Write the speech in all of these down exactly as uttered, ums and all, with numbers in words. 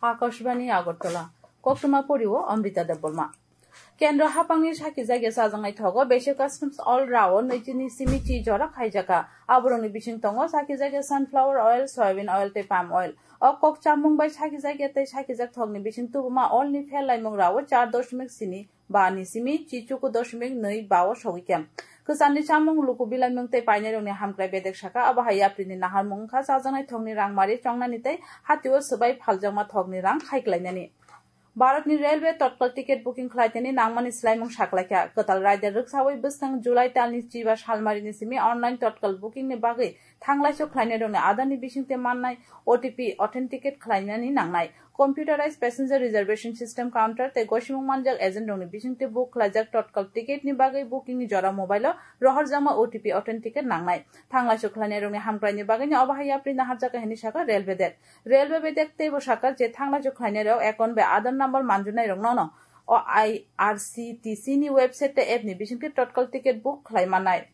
Akashbani Agartala. Koktwma poriwo Amrita Debbarma. Kendro hapangni sakijak ya chajaknai thogo Basic Customs All Rao nwichini simi chi jora khaijaka. Aborokni bising tongo sakijak ya sunflower oil, soybean oil tei palm oil. O kok chamung bai sakijak ya tei sakijak thokni bising tubuma oil ni pher laimung rao char doshmik sini ba ni simi chi chuku doshmik nwi ba o sogwi khe. Kwcharni chamung, luku bilaimung tei painairokni hamkrai bedek saka, abo hai yaprini naharmung wngkha chajaknai thokni rangmari chongnani tei hatio swbai phaljakma thokni rang khai klainani. Bharatni railway totkal ticket booking khlaitani nangmani swlaimung saklaikha. Kwtal raida rwksawi bwskang July talni chiba salmarini simi online totkal bookingni bagwi thanglaisok khlainairokni adarni bisingtwi mannai O T P authenticate khlainani nangnai. Computerized passenger reservation system counter tei gosimung manjak agent rokni bisingtwi book khlaijak totkal ticket ni bagwi booking ni jora mobile o rohorjakma O T P authenticate nangnai. Thanglaisok khlainairokni hamkraini bagwino obo hai yapri naharjakha hinwi sakha railway bedek. Railway bedek teibo sakha je thanglaisok khlainairok account bai Aadhaar number manjunairokno no o I R C T C ni website tei app ni bisingtwi totkal ticket book khlai mannai.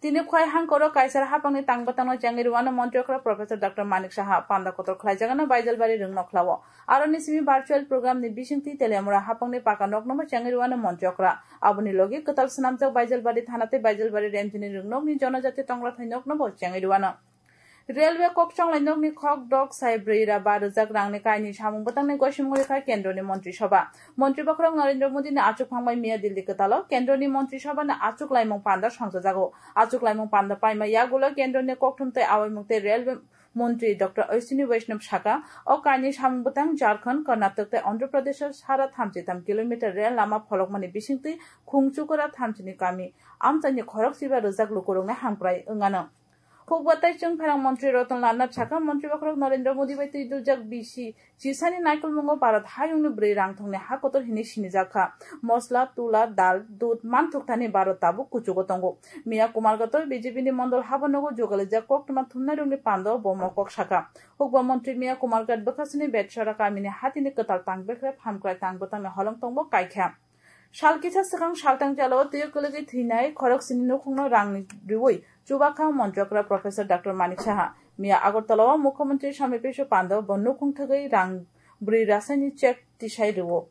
Tini khwai hangkoro kaisar hapangni tang bwtangno chengwi rwano montri okra Professor Doctor Manik Saha panda kotor khlaijagano Baijalbari rwngnokhla-o. Aroni simi virtual program ni bisingtwi Teliamura hapangni paka nokno bo chengwi rwano montri okra. Aboni logi kwtal swnamjak Baijalbari thana tei Baijalbari remchini rwngnokni jonojati tongrathai nokno bo chengwi rwano. Railway kok chonglai nokni khok dok sai brwi ra ba rwjak rangni kaini samung bwtangni gosimung rikha kendroni montri soba. Montri bokhorok Narendra Modi ni achuk phangbai miya Delhi kwtalo kendroni montri soba ni achuk laimung panda songchajago. Achuk laimung panda paima yagulo kendroni kokthum tei awaimung tei railway montri Doctor Ashwini Vaishnaw saka, o kaini samung bwtang Jharkhand, Karnataka tei Andhra Pradesh o sara thamchi tham kilometer rail lama pholokmani bisingtwi Khungchukura thamchini kami amchaini khorok chiba rwjak lukurokni hamkrai wngano. Hukba tei chwngpherang montri Ratan Lal Nath saka, montri bokhorok Narendra Modi bai twi duljak bisi chisani naikolmungo Bharat hayungni bwrwi rangthongni ha kotor hinwi sinijak kha. Mosla, tula, dal, dud manthok thani Bharat tabuk kuchugo tongo. Miya Kumar Gato B J P ni mondol habo nogo jugalijak koktwma thumnairokni pando bo mokok saka. Hukba montri Miya Kumar Gato bwkhasini Betshora kamini hatini kwtal tang bekrep hamkrai tang bwtangni holong tongbo kaikha. Sal kisa swkang saltang jala o twiwi kwlwgwi thwinai khoroksini nukhungno rangni rwui chubakha montri okra Professor Doctor Manik Saha. Miya Agartala o Mukhyamantri Samit Biswa Panda bo nukhung thwgwi rang brwi rasaini check tisai rwo.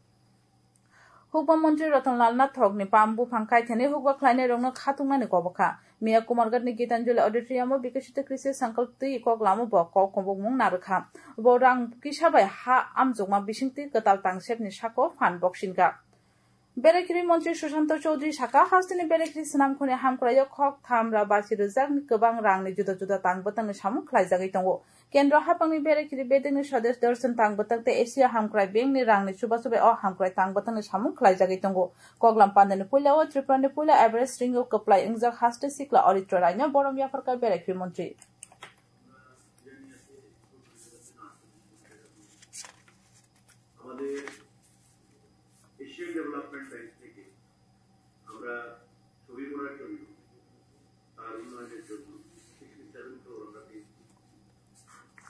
Hukba montri Ratan Lal Nathok ni pam buphang kaithani hukba khlainai rokno khatungnani kobokha. Miya Kumarghat ni Gitanjali Auditorium o Bikasita Krishi Sankalp twi kok lamo bo kok kobokmung narwkha. Bo rang kisa bai ha amjokma bisingtwi kwtal tangsep ni sako phan boksinka. Berekhiri montri Sushanta Chowdhury saka, hasteni berekhiri swnamkhuni hamkraio khok tham ra basi rwjakni kwbang rangni juda juda tang bwtangni samung khlaijagwi tongo. Kendro hapangni berekhiri bedekni Swadesh Darshan tang bwtang tei Asia hamkrai bengni rangni chubachu bai o hamkrai tang bwtangni samung khlaijagwi tongo. Koklam pandani puila o Tripurani puila Everest ringo kwplai wngjak haste sikla Aritra Raino borom yapharkha berekhiri montri. আমাদের Asian development bank থেকে আমরা ছবি করার জন্য, তার উন্নয়নের জন্য sixty seven crore আমরা পেয়েছি।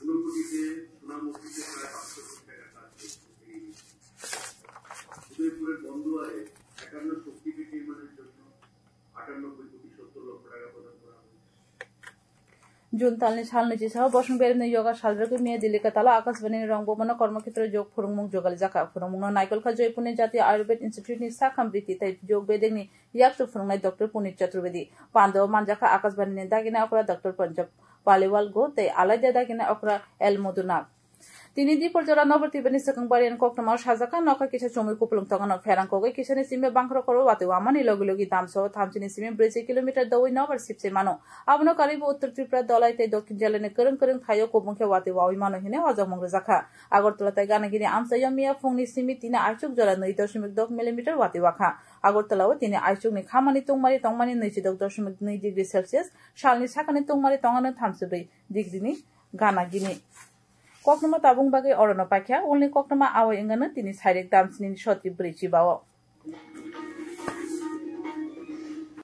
ঊনকোটিতে সুনাম অর্পিত প্রায় পাঁচশো কোটি টাকা কাজ করছে। এই উদয়পুরের বন্দোয়ারে একান্ন শক্তিপীঠ নির্মাণের জন্য আটানব্বই কোটি সত্তর লক্ষ টাকা প্রদান করা হয়েছে। June talni salni chisao bosong beremni yoga salrwgwi miya Delhi kwtalo Akashbani ni rong bomano kormokhetro jog phwrwngmung jugalijak kha. Phwrwngmungno naikolkha Joypurni Jatiya Ayurved Institute ni sakham riti tei jog bedekni yakchu phwrwngnai Doctor Punit Chaturvedi. Pandao manjakha Akashbani ni dagina okra Doctor Panchab Paliwal Go tei alaida dagina okra L Madhunath. Tini dipor jora nobar tibani swkang bariani koktwmao sajak kha, nokha kisa chumui kupulung tongano pherang kogwi kisani simi bangkhoro koro watwi wamani logi logi damso thamchini simi brwisi kilometer dowi nobar sipse mano. Abono karwibo Uttor Tripura, Dhalai tei Dokhin Dhalai ni kwrwng kwrwng thaio kubung khe watwi wawi mano hinwi hojagmung rwjak kha. Agartala tei Ganagini amchaio miya phungni simi tini aichuk jora nwi doshmik dok millimeter watwi wakha. Agartala o tini aichukni khamani tungmari tongmani nwichidok doshmik nwi degree Celsius, salni sakani tungmari tongano thamchibrwi degree ni Ganagini. Koktwma tabung bagwi orono paikha, ulni koktwma awai wngano tini sairik damsini soti brwi chibao.